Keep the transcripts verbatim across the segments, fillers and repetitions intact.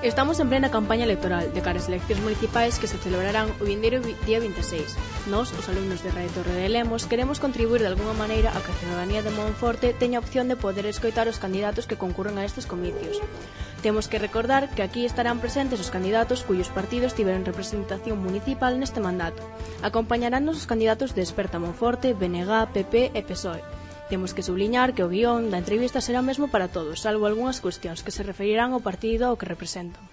Estamos en plena campaña electoral de cara ás eleccións municipais que se celebrarán o vindeiro día vinte e seis. Nós, os alumnos de Radio Torre de Lemos, queremos contribuir de alguna maneira a que a ciudadanía de Monforte teña opción de poder escoitar os candidatos que concurren a estes comicios. Temos que recordar que aquí estarán presentes os candidatos cuyos partidos tiveron representación municipal neste mandato. Acompañaránnos os candidatos de Esperta Monforte, B N G, P P e P S O E. Temos que subliñar que o guión da entrevista será mesmo para todos, salvo algunhas cuestións que se referirán ao partido ao que representan.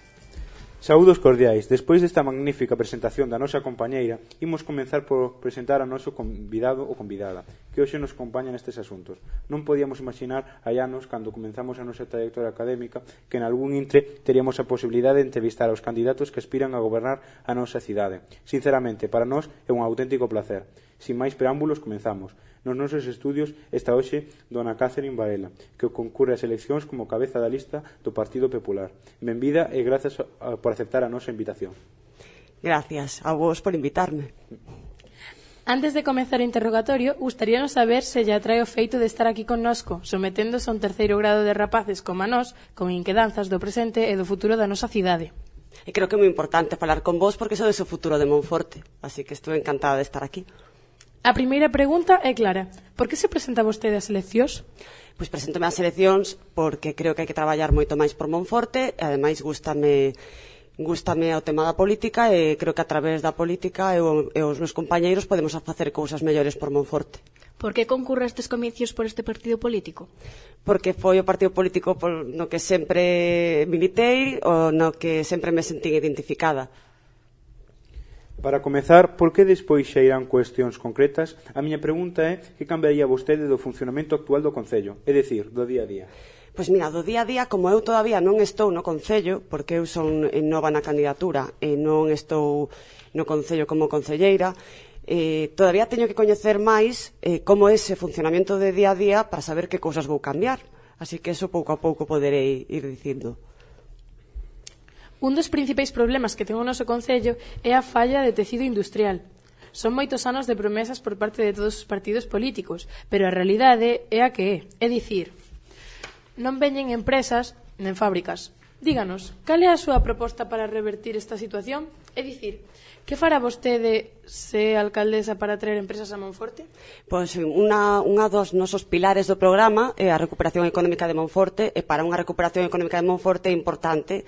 Saúdos cordiais. Despois desta magnífica presentación da nosa compañeira, imos comenzar por presentar a noso convidado ou convidada, que hoxe nos acompaña nestes asuntos. Non podíamos imaginar hai anos, cando comenzamos a nosa trayectoria académica, que en algún intre teríamos a posibilidade de entrevistar aos candidatos que aspiran a gobernar a nosa cidade. Sinceramente, para nós é un auténtico placer. Sin máis preámbulos, comenzamos. Nos nosos estudios está hoxe dona Catherine Varela, que concurre ás eleccións como cabeza da lista do Partido Popular. Benvida e grazas por aceptar a nosa invitación. Gracias a vos por invitarme. Antes de comezar o interrogatorio, gustaríanos saber se lle atrae o feito de estar aquí connosco, someténdose a un terceiro grado de rapaces como a nós, con inquedanzas do presente e do futuro da nosa cidade. E creo que é moi importante falar con vos porque sodes o futuro de Monforte, así que estou encantada de estar aquí. A primeira pregunta é clara. Por que se presenta vostede ás eleccións? Pois preséntome ás eleccións porque creo que hai que traballar moito máis por Monforte e ademais gústame, gústame o tema da política e creo que a través da política eu e os meus compañeiros podemos facer cousas mellores por Monforte. Por que concurre estes comicios por este partido político? Porque foi o partido político no que sempre militei ou no que sempre me sentín identificada. Para comezar, por que despois xa irán cuestións concretas? A miña pregunta é que cambiaría vostede do funcionamento actual do Concello, é dicir, do día a día. Pois mira, do día a día, como eu todavía non estou no Concello, porque eu son nova na candidatura e non estou no Concello como concelleira, eh, todavía teño que coñecer máis eh, como é ese funcionamento de día a día para saber que cousas vou cambiar. Así que eso pouco a pouco poderei ir dicindo. Un dos principais problemas que ten o noso Concello é a falla de tecido industrial. Son moitos anos de promesas por parte de todos os partidos políticos, pero a realidade é a que é. É dicir, non veñen empresas nen fábricas. Díganos, cal é a súa proposta para revertir esta situación? É dicir, que fará vostede se alcaldesa para traer empresas a Monforte? Pois unha, unha dos nosos pilares do programa é a recuperación económica de Monforte, e para unha recuperación económica de Monforte é importante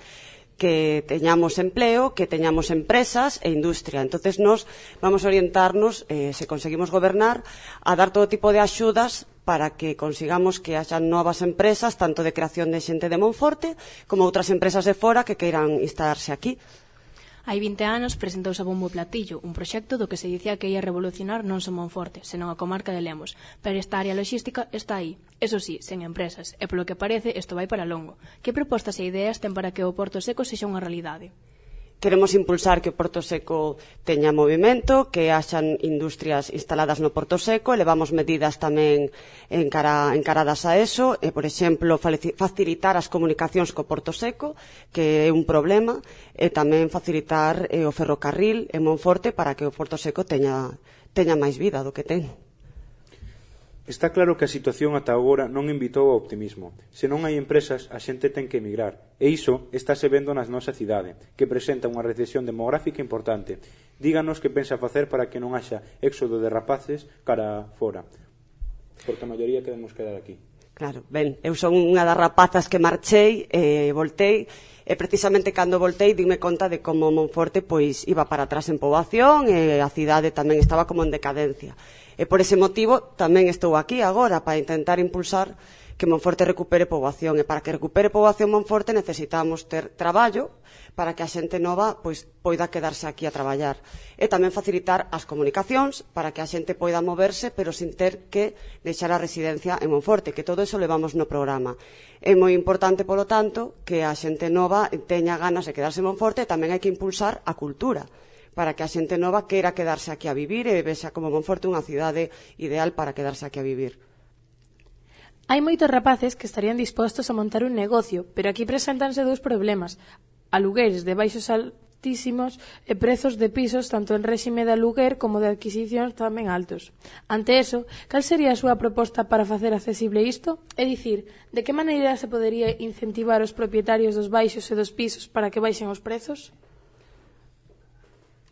que teñamos empleo, que teñamos empresas e industria. Entonces nós vamos a orientarnos, eh, se conseguimos gobernar, a dar todo tipo de axudas para que consigamos que haxan novas empresas, tanto de creación de xente de Monforte, como outras empresas de fora que queiran instalarse aquí. Hai vinte anos presentouse a bombo e platillo un proxecto do que se dicía que ia revolucionar non só Monforte, senón a comarca de Lemos, pero esta área logística está aí, eso sí, sen empresas, e polo que parece isto vai para longo. Que propostas e ideas ten para que o Porto Seco sexa unha realidade? Queremos impulsar que o Porto Seco teña movimento, que haxan industrias instaladas no Porto Seco, e levamos medidas tamén encara, encaradas a eso, e, por exemplo, facilitar as comunicacións co Porto Seco, que é un problema, e tamén facilitar eh, o ferrocarril en Monforte para que o Porto Seco teña, teña máis vida do que ten. Está claro que a situación ata agora non invitou ao optimismo. Se non hai empresas, a xente ten que emigrar. E iso estáse vendo na nosa cidade, que presenta unha recesión demográfica importante. Díganos que pensa facer para que non haxa éxodo de rapaces cara fora. Porque a maioría queremos quedar aquí. Claro, ben, eu son unha das rapazas que marchei e voltei, e precisamente cando voltei dime conta de como Monforte pois iba para atrás en poboación e a cidade tamén estaba como en decadencia. E por ese motivo tamén estou aquí agora para intentar impulsar que Monforte recupere poboación, e para que recupere poboación Monforte necesitamos ter traballo para que a xente nova pois poida quedarse aquí a traballar, e tamén facilitar as comunicacións para que a xente poida moverse pero sin ter que deixar a residencia en Monforte, que todo eso levamos no programa. É moi importante, polo tanto, que a xente nova teña ganas de quedarse en Monforte, e tamén hai que impulsar a cultura para que a xente nova queira quedarse aquí a vivir e vexa como Monforte unha cidade ideal para quedarse aquí a vivir. Hai moitos rapaces que estarían dispostos a montar un negocio, pero aquí preséntanse dous problemas: alugueres de baixo sal altísimos e prezos de pisos tanto en réxime de aluguer como de adquisicións tamén altos. Ante eso, cal sería a súa proposta para facer accesible isto? É dicir, de que maneira se podería incentivar os propietarios dos baixos e dos pisos para que baixen os prezos?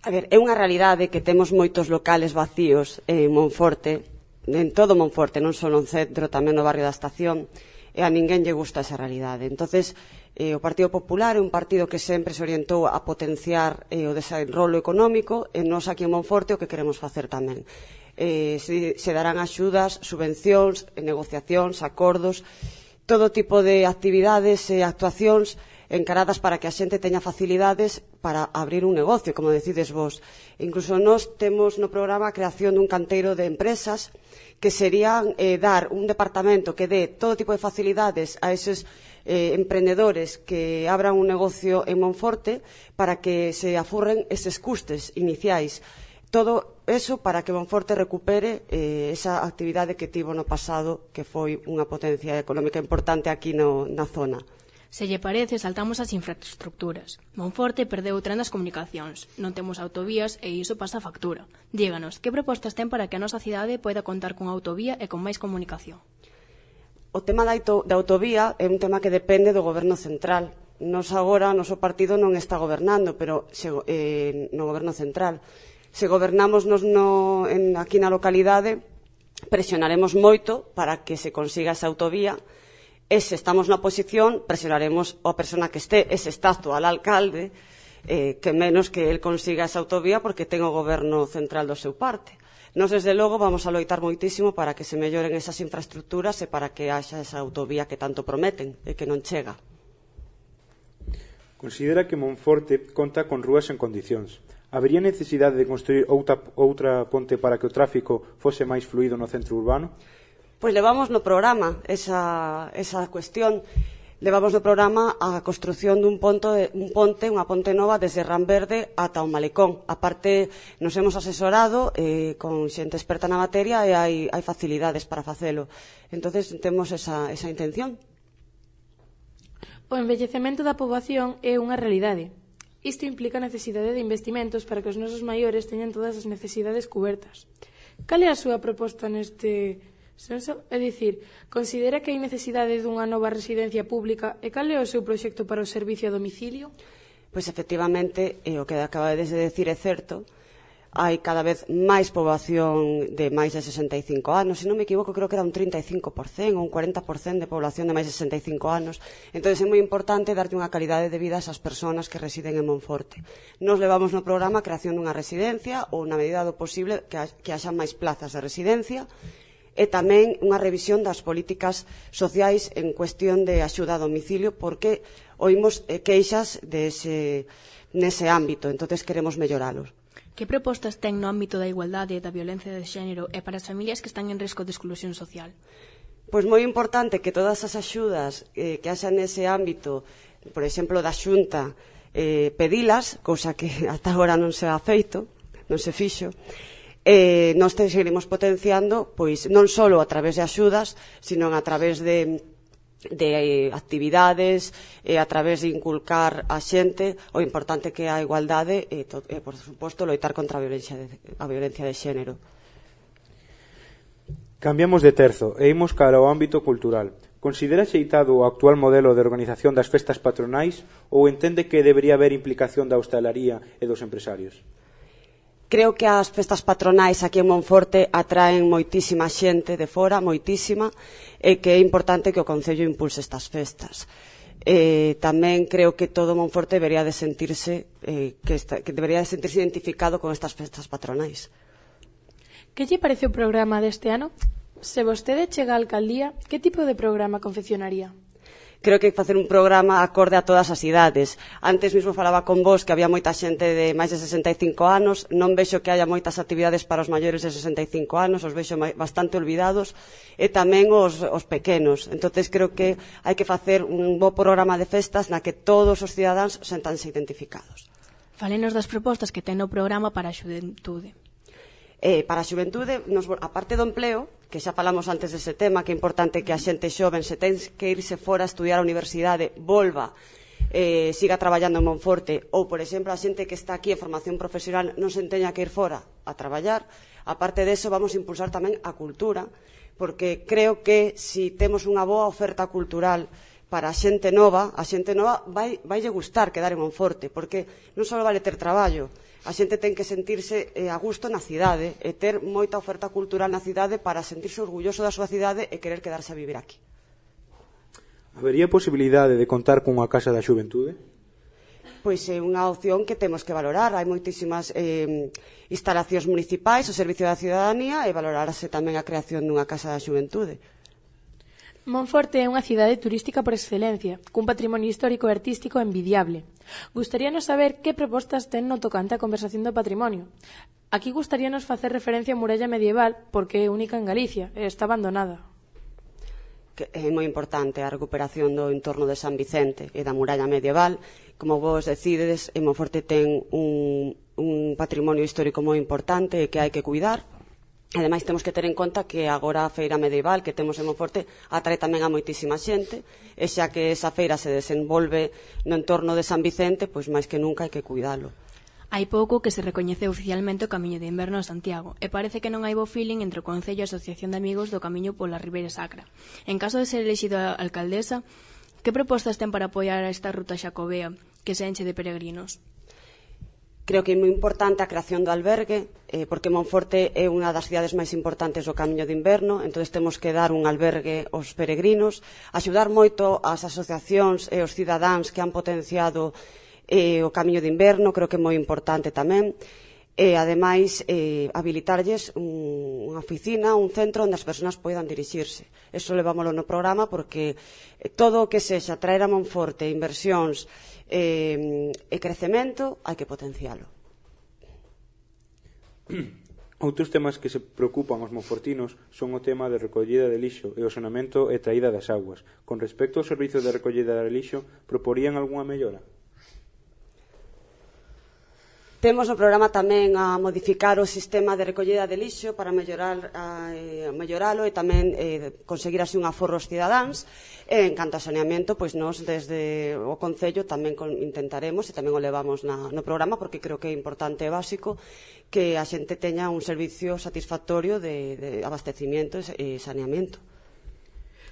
A ver, é unha realidade que temos moitos locales vacíos en Monforte, en todo Monforte, non só no centro, tamén no barrio da Estación, e a ninguén lle gusta esa realidade. Entonces, eh, o Partido Popular é un partido que sempre se orientou a potenciar eh, o desenrolo económico, e nós aquí en Monforte o que queremos facer tamén. Eh, se, se darán axudas, subvencións, negociacións, acordos, todo tipo de actividades e actuacións encaradas para que a xente teña facilidades para abrir un negocio, como decides vos. Incluso nós temos no programa a creación dun canteiro de empresas que serían eh, dar un departamento que dé todo tipo de facilidades a eses eh, emprendedores que abran un negocio en Monforte para que se afurren eses custes iniciais. Todo eso para que Monforte recupere eh, esa actividade que tivo no pasado, que foi unha potencia económica importante aquí no, na zona. Se lle parece, saltamos as infraestructuras. Monforte perdeu o tren das comunicacións, non temos autovías e iso pasa a factura. Díganos, que propostas ten para que a nosa cidade poida contar con autovía e con máis comunicación? O tema da, da autovía é un tema que depende do goberno central. Nos agora, o noso partido non está gobernando, pero se, eh, no goberno central. Se gobernamos nos no, en, aquí na localidade, presionaremos moito para que se consiga esa autovía, e se estamos na oposición, presionaremos a persona que este, e se está actual alcalde, eh, que menos que el consiga esa autovía porque ten o goberno central do seu parte. Nos, desde logo, vamos a loitar moitísimo para que se melloren esas infraestructuras e para que haxa esa autovía que tanto prometen e que non chega. Considera que Monforte conta con rúas en condicións. Habería necesidade de construir outra, outra ponte para que o tráfico fose máis fluido no centro urbano? Pois levamos no programa esa, esa cuestión. Levamos no programa a construción dun ponte, un ponte, unha ponte nova desde Ranverde ata o Malecón. A parte, nos hemos asesorado eh, con xente experta na materia e hai, hai facilidades para facelo. Entonces temos esa, esa intención. O envellecemento da poboación é unha realidade. Isto implica a necesidade de investimentos para que os nosos maiores teñan todas as necesidades cubertas. Cal é a súa proposta neste senso? É dicir, considera que hai necesidade dunha nova residencia pública e cal é o seu proxecto para o servicio a domicilio? Pois efectivamente, eh, o que acabades de decir é certo. Hai cada vez máis poboación de máis de sesenta e cinco anos. Se non me equivoco, creo que era un trinta e cinco por cento ou un cuarenta por cento de población de máis de sesenta e cinco anos. Entón é moi importante darte unha calidade de vida a esas persoas que residen en Monforte. Nos levamos no programa a creación dunha residencia ou, na medida do posible, que, ha, que haxa máis plazas de residencia e tamén unha revisión das políticas sociais en cuestión de axuda a domicilio, porque oímos queixas dese, nese ámbito, entón queremos melloralos. Que propostas ten no ámbito da igualdade e da violencia de xénero e para as familias que están en risco de exclusión social? Pois moi importante que todas as axudas eh, que haxan nese ámbito, por exemplo, da Xunta, eh, pedilas, cousa que ata agora non se ha feito, non se fixo, eh, nós te seguiremos potenciando, pois non só a través de axudas, sino a través de de actividades e a través de inculcar a xente o importante que é a igualdade e, e por suposto, loitar contra a violencia de, a violencia de xénero. Cambiamos de terzo e imos cara ao ámbito cultural. Considera xeitado o actual modelo de organización das festas patronais ou entende que debería haber implicación da hostalaría e dos empresarios? Creo que as festas patronais aquí en Monforte atraen moitísima xente de fora, moitísima, e que é importante que o Concello impulse estas festas. Eh, tamén creo que todo Monforte debería de sentirse eh, que, esta, que debería de sentirse identificado con estas festas patronais. Que lle parece o programa deste ano? Se vostede chega á alcaldía, que tipo de programa confeccionaría? Creo que hai que facer un programa acorde a todas as idades. Antes mesmo falaba con vos que había moita xente de máis de sesenta e cinco anos, non vexo que haya moitas actividades para os maiores de sesenta e cinco anos, os vexo bastante olvidados, e tamén os, os pequenos. Entonces creo que hai que facer un bo programa de festas na que todos os cidadáns sentanse identificados. Falenos das propostas que ten no programa para a xuventude. Eh, para a xuventude, nos, a parte do empleo, que xa falamos antes dese tema, que é importante que a xente xoven, se ten que irse fora a estudiar a universidade, volva eh, siga traballando en Monforte, ou, por exemplo, a xente que está aquí en formación profesional non se teña que ir fora a traballar. Aparte deso, vamos a impulsar tamén a cultura, porque creo que si temos unha boa oferta cultural para a xente nova, a xente nova vai, vai lle gustar quedar en Monforte, porque non só vale ter traballo, a xente ten que sentirse eh, a gusto na cidade e ter moita oferta cultural na cidade para sentirse orgulloso da súa cidade e querer quedarse a vivir aquí. Habería posibilidade de contar cunha Casa da Xuventude? Pois é unha opción que temos que valorar. Hai moitísimas eh, instalacións municipais, o Servicio da Ciudadanía, e valorarase tamén a creación dunha Casa da Xuventude. Monforte é unha cidade turística por excelencia, cun patrimonio histórico e artístico envidiable. Gustaríanos saber que propostas ten no tocante a conversación do patrimonio. Aquí gustaríanos facer referencia á muralla medieval porque é única en Galicia e está abandonada. Que é moi importante a recuperación do entorno de San Vicente e da muralla medieval. Como vos decides, en Monforte ten un, un patrimonio histórico moi importante e que hai que cuidar. Ademais, temos que ter en conta que agora a feira medieval que temos en Monforte atrae tamén a moitísima xente, e xa que esa feira se desenvolve no entorno de San Vicente, pois máis que nunca hai que cuidalo. Hai pouco que se recoñeceu oficialmente o Camiño de Inverno en Santiago e parece que non hai bo feeling entre o Concello e a Asociación de Amigos do Camiño pola Ribeira Sacra. En caso de ser elixida alcaldesa, que propostas ten para apoiar a esta ruta xacobea que se enche de peregrinos? Creo que é moi importante a creación do albergue, eh, porque Monforte é unha das cidades máis importantes do Camiño de Inverno, entón temos que dar un albergue aos peregrinos, axudar moito as asociacións e os cidadáns que han potenciado eh, o Camiño de Inverno, creo que é moi importante tamén, e ademais eh, habilitarlles un, unha oficina, un centro onde as persoas poidan dirixirse. Eso levámoslo no programa porque todo o que sexa traer a Monforte inversións eh, e crecemento hai que potencialo. Outros temas que se preocupan aos monfortinos son o tema de recollida de lixo e o sonamento e traída das aguas. Con respecto ao servizo de recollida de lixo, proporían algunha mellora? Temos no programa tamén a modificar o sistema de recollida de lixo para mellorar, a, a melloralo e tamén eh, conseguir así un aforro aos cidadáns. E en canto a saneamento, pois nós desde o Concello tamén con, intentaremos e tamén o levamos na, no programa porque creo que é importante e básico que a xente teña un servicio satisfactorio de, de abastecimiento e saneamento.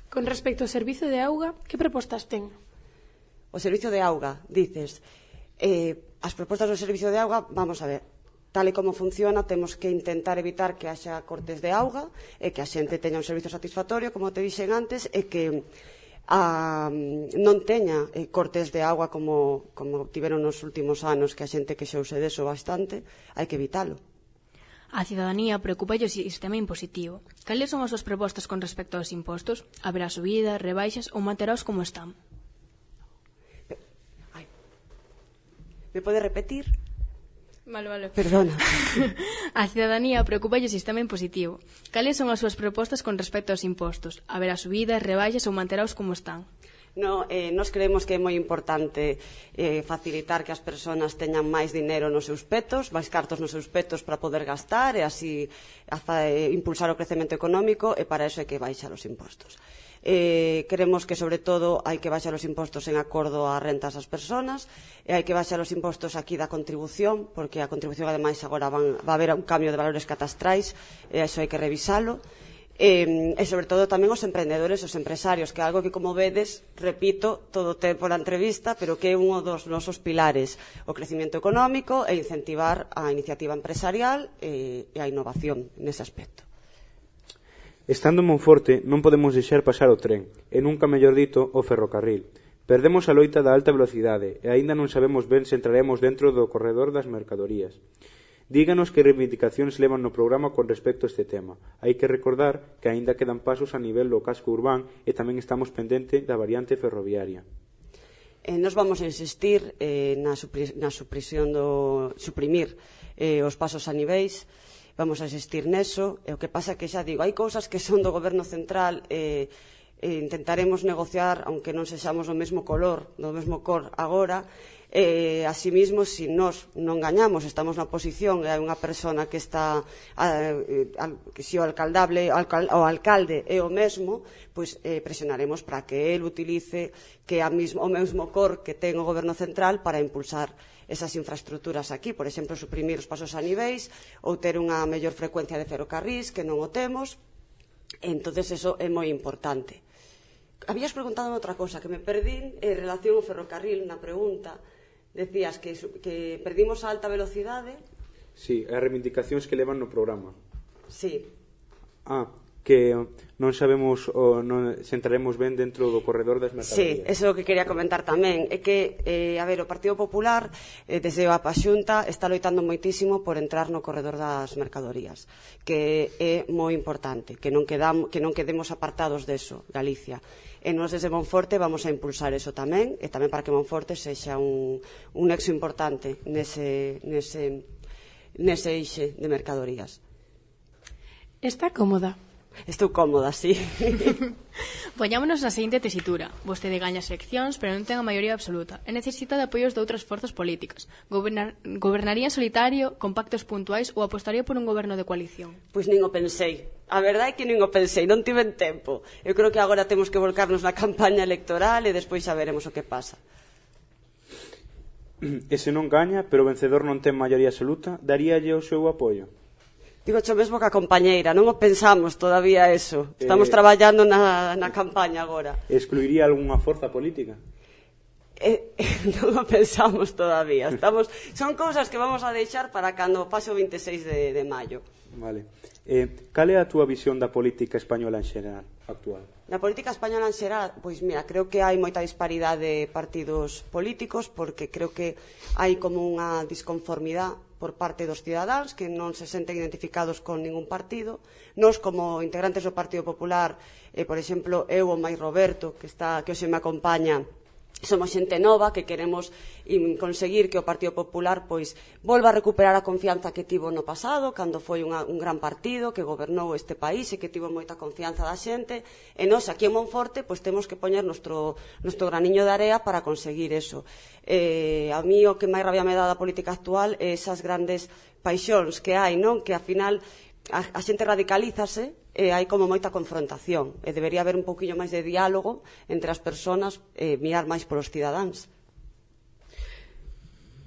Con respecto ao servizo de auga, que propostas ten? O servizo de auga, dices... Eh, as propostas do servicio de auga, vamos a ver, tal e como funciona, temos que intentar evitar que haxa cortes de auga e que a xente teña un servicio satisfactorio, como te dixen antes, e que a, non teña eh, cortes de auga como, como tiveron nos últimos anos, que a xente queixouse deso bastante, hai que evitalo. A cidadanía preocupa o sistema impositivo. Cales son as súas propostas con respecto aos impostos? Haberá subidas, rebaixas ou manteraos como están? Me pode repetir? Vale, vale. Perdona. A cidadanía preocupa o sistema impositivo. Cales son as súas propostas con respecto aos impostos? Haberá subidas, rebaixas ou manteraos como están? No, eh, nos creemos que é moi importante eh, facilitar que as persoas teñan máis dinero nos seus petos, máis cartos nos seus petos para poder gastar e así hasta, eh, impulsar o crecemento económico, e para iso hai que baixar os impostos. Eh, creemos que, sobre todo, hai que baixar os impostos en acordo ás rentas das persoas e hai que baixar os impostos aquí da contribución, porque a contribución, ademais, agora van, va a haber un cambio de valores catastrais e iso hai que revisalo. E, e, sobre todo, tamén os emprendedores, os empresarios, que é algo que, como vedes, repito todo o tempo na entrevista, pero que é un dos nosos pilares, o crecimiento económico e incentivar a iniciativa empresarial e, e a innovación nese aspecto. Estando en Monforte non podemos deixar pasar o tren, e nunca mellor dito o ferrocarril. Perdemos a loita da alta velocidade e aínda non sabemos ben se entraremos dentro do corredor das mercadorías. Díganos que reivindicacións levan no programa con respecto a este tema. Hai que recordar que aínda quedan pasos a nivel do casco urbán e tamén estamos pendente da variante ferroviaria. Eh, nos vamos a insistir eh, na, supri na supresión do suprimir eh, os pasos a niveis. Vamos a insistir neso, e o que pasa que xa digo, hai cousas que son do goberno central e, e intentaremos negociar, aunque non sexamos do mesmo color, do mesmo cor agora, Eh, asimismo, se si nós non gañamos, estamos na oposición e hai unha persona que está eh, al, que se o alcaldable alcal, o alcalde é o mesmo, pois eh, presionaremos para que el utilice que a mismo, o mesmo cor que ten o goberno central para impulsar esas infraestructuras aquí, por exemplo, suprimir os pasos a niveis ou ter unha mellor frecuencia de ferrocarrís que non o temos. Entonces eso é moi importante. Habías preguntado outra cosa que me perdín en relación ao ferrocarril na pregunta. Decías que, que perdimos a alta velocidade. Sí, as reivindicacións que levan no programa. Sí. Ah, que non sabemos ou non se entraremos ben dentro do corredor das mercadorías. Sí, eso é o que quería comentar tamén. É que, eh, a ver, o Partido Popular eh, desde a Xunta está loitando moitísimo por entrar no corredor das mercadorías, que é moi importante, que non, quedam, que non quedemos apartados deso, Galicia. E nós desde Monforte vamos a impulsar eso tamén, e tamén para que Monforte sexa un, un nexo importante nese, nese, nese eixe de mercadorías. Está cómoda? Estou cómoda, sí. Poñámonos na seguinte tesitura. Vostede gaña as eleccións, pero non ten a maioría absoluta e necesita de apoios de outras forzas políticas. Gobernar, gobernaría en solitario, con pactos puntuais ou apostaría por un goberno de coalición? Pois nin o pensei. A verdade é que nin o pensei, non tiven tempo. Eu creo que agora temos que volcarnos na campaña electoral e despois xa veremos o que pasa. E se non gaña, pero o vencedor non ten maioría absoluta, daríalle o seu apoio? Digo xo mesmo que a compañeira, non o pensamos todavía eso. Estamos eh, traballando na, na campaña agora. Excluiría algunha forza política? Eh, non o pensamos todavía. Estamos, son cousas que vamos a deixar para cando pase o vinte e seis de, de maio. Vale. Eh, cal é a túa visión da política española en xeral actual? Na política española en xeral, pois mira, creo que hai moita disparidade de partidos políticos porque creo que hai como unha disconformidade por parte dos cidadáns que non se senten identificados con ningún partido. Nós, como integrantes do Partido Popular, eh, por exemplo, eu ou máis Roberto, que, está, que hoxe me acompaña, somos xente nova que queremos conseguir que o Partido Popular pois volva a recuperar a confianza que tivo no pasado, cando foi unha, un gran partido que gobernou este país e que tivo moita confianza da xente, e nós aquí en Monforte pois temos que poñer nostro, nostro graniño de area para conseguir eso. Eh, a mí o que máis rabia me dá da política actual é esas grandes paixóns que hai, non? Que ao final a, a xente radicalízase e hai como moita confrontación e debería haber un pouquiño máis de diálogo entre as persoas e mirar máis polos cidadáns.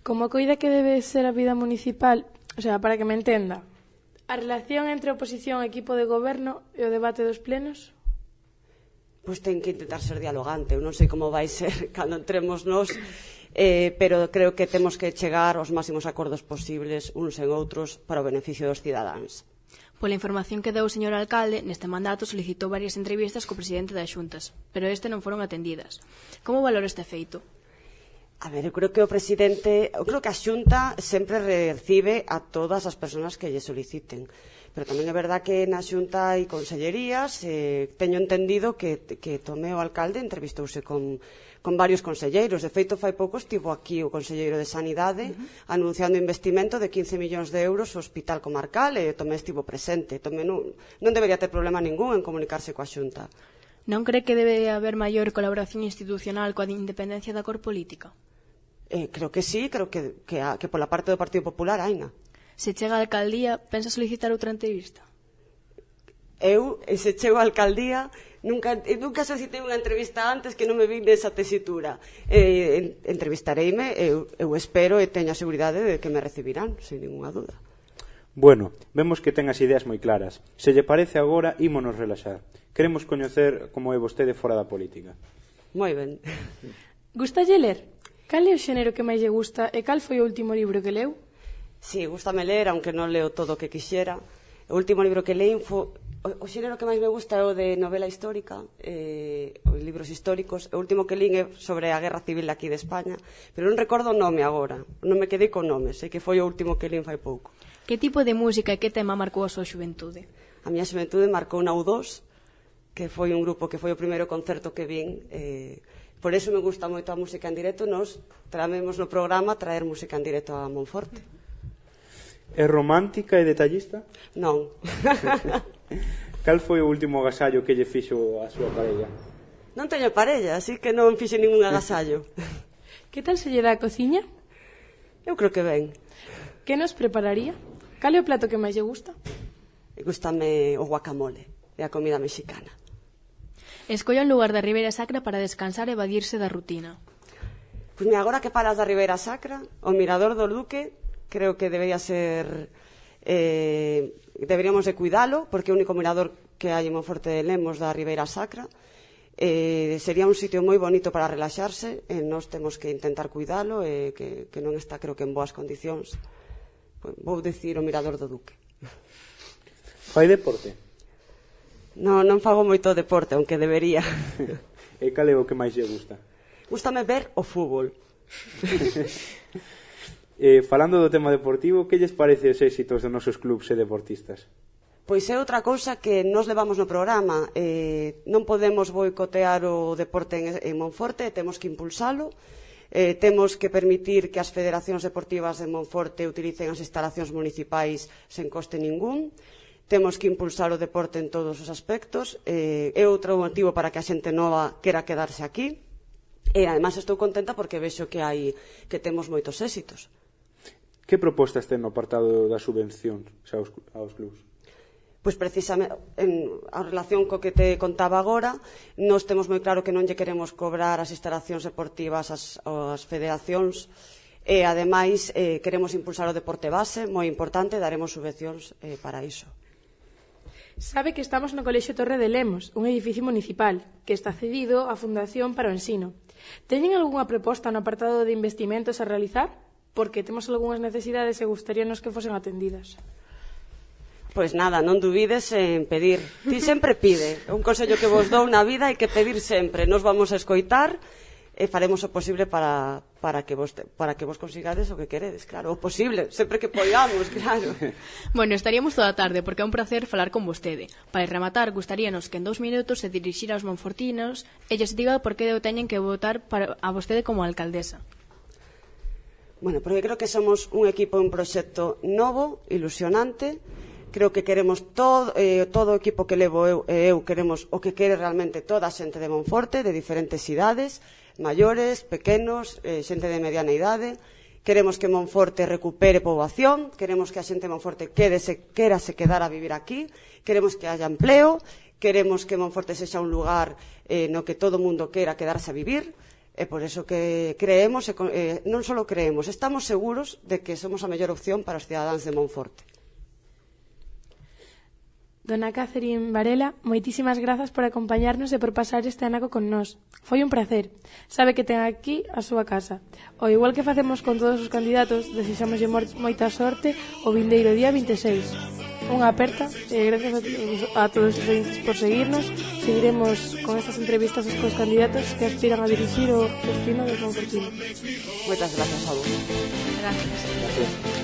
Como coida que debe ser a vida municipal, o sea, para que me entenda, a relación entre oposición e equipo de goberno e o debate dos plenos? Pois ten que intentar ser dialogante. Eu non sei como vai ser cando entremos nós, eh, pero creo que temos que chegar aos máximos acordos posibles uns en outros para o beneficio dos cidadáns. Pola información que deu o señor alcalde, neste mandato solicitou varias entrevistas co presidente das Xuntas, pero este non foron atendidas. Como valora este feito? A ver, eu creo que o presidente, eu creo que a Xunta sempre recibe a todas as persoas que lle soliciten. Pero tamén é verdad que na Xunta hai consellerías, eh, teño entendido que, que Tomé o alcalde entrevistouse con, con varios conselleiros. De feito, fai pouco estivo aquí o conselleiro de Sanidade uh-huh. anunciando investimento de quince millóns de euros ao hospital comarcal e Tomé estivo presente. Tomé non, non debería ter problema ningún en comunicarse coa Xunta. Non cree que debe haber maior colaboración institucional coa independencia da cor política? Eh, creo que sí, creo que, que, a, que pola parte do Partido Popular haina. Se chega a alcaldía, pensa solicitar outra entrevista? Eu, se chego a alcaldía, nunca, nunca solicitei unha entrevista antes que non me vin desa tesitura. Eh, entrevistareime, eu, eu espero e teño a seguridade de que me recibirán, sen ninguna duda. Bueno, vemos que ten as ideas moi claras. Se lle parece agora, ímonos relaxar. Queremos coñecer como é vostede fora da política. Moi ben. Gustalle ler? Cal é o xénero que máis lle gusta e cal foi o último libro que leu? Sí, gustame ler, aunque non leo todo o que quixera. O último libro que leí foi... O, o xénero que máis me gusta é o de novela histórica, eh, os libros históricos. O último que lín é sobre a Guerra Civil aquí de España, pero non recordo o nome agora. Non me quedei con nome, sei que foi o último que lín fai pouco. Que tipo de música e que tema marcou a súa xuventude? A miña xuventude marcou na U dos, que foi un grupo que foi o primeiro concerto que vin. Eh, por eso me gusta moito a música en directo. Nos tramemos no programa traer música en directo a Monforte. É romántica e detallista? Non. Cal foi o último agasallo que lle fixo a súa parella? Non teño parella, así que non fixe ningún agasallo. Que tal se lle dá a cociña? Eu creo que ben. Que nos prepararía? Cal é o plato que máis lle gusta? Gústame o guacamole, é a comida mexicana. Escolla un lugar da Ribeira Sacra para descansar e evadirse da rutina. Pois mira, agora que falas da Ribeira Sacra, o Mirador do Duque creo que debería ser... Eh, deberíamos de cuidalo, porque é o único mirador que hai en Monforte de Lemos da Ribeira Sacra. Eh, sería un sitio moi bonito para relaxarse, e nós temos que intentar cuidalo, e que, que non está, creo que, en boas condicións. Pois, vou dicir o Mirador do Duque. Fai deporte? Non, non fago moito deporte, aunque debería. E cal é o que máis lle gusta? Gústame ver o fútbol. eh, falando do tema deportivo, que lles parece os éxitos dos nosos clubs e deportistas? Pois é outra cousa que nos levamos no programa. Eh, non podemos boicotear o deporte en, en Monforte, temos que impulsalo. Eh, temos que permitir que as federacións deportivas de Monforte utilicen as instalacións municipais sen coste ningún. Temos que impulsar o deporte en todos os aspectos. Eh, é outro motivo para que a xente nova quera quedarse aquí. E, ademais, estou contenta porque vexo que hai que temos moitos éxitos. Que propostas ten no apartado das subvencións aos, aos clubs? Pois precisamente, en a relación co que te contaba agora, nós temos moi claro que non lle queremos cobrar as instalacións deportivas ás, ás federacións, e, ademais, eh, queremos impulsar o deporte base, moi importante, daremos subvencións eh, para iso. Sabe que estamos no Colexio Torre de Lemos, un edificio municipal, que está cedido á Fundación para o Ensino. Teñen algunha proposta no apartado de investimentos a realizar? Porque temos algunhas necesidades e gustaríanos que fosen atendidas. Pois nada, non dubides en pedir. Ti sempre pide. É un consello que vos dou na vida, hai que pedir sempre. Nos vamos a escoitar e faremos o posible para, para, que, vos, para que vos consigades o que queredes, claro. O posible, sempre que poidamos, claro. Bueno, estaríamos toda a tarde, porque é un placer falar con vostede. Para rematar, gustaríanos que en dous minutos se dirixira aos monfortinos e lles diga por que teñen que votar para a vostede como alcaldesa. Bueno, porque creo que somos un equipo, un proxecto novo, ilusionante. Creo que queremos todo, eh, todo o equipo que levo eu, e eu queremos o que quere realmente toda a xente de Monforte, de diferentes idades, maiores, pequenos, eh, xente de mediana idade. Queremos que Monforte recupere poboación, queremos que a xente de Monforte quérese, quérase quedar a vivir aquí, queremos que haya empleo, queremos que Monforte sexa un lugar eh, no que todo o mundo quera quedarse a vivir. E por eso que creemos, eh, non só creemos, estamos seguros de que somos a mellor opción para os cidadáns de Monforte. Dona Catherine Varela, moitísimas grazas por acompañarnos e por pasar este anaco con nós. Foi un placer. Sabe que ten aquí a súa casa. O igual que facemos con todos os candidatos, desexámoslle moita sorte o vindeiro día vinte e seis. Unha aperta e gracias a, a todos os oyentes por seguirnos. Seguiremos con estas entrevistas cos candidatos que aspiran a dirixir o destino dos Monfortinos. Moitas grazas a vos. Gracias. Gracias.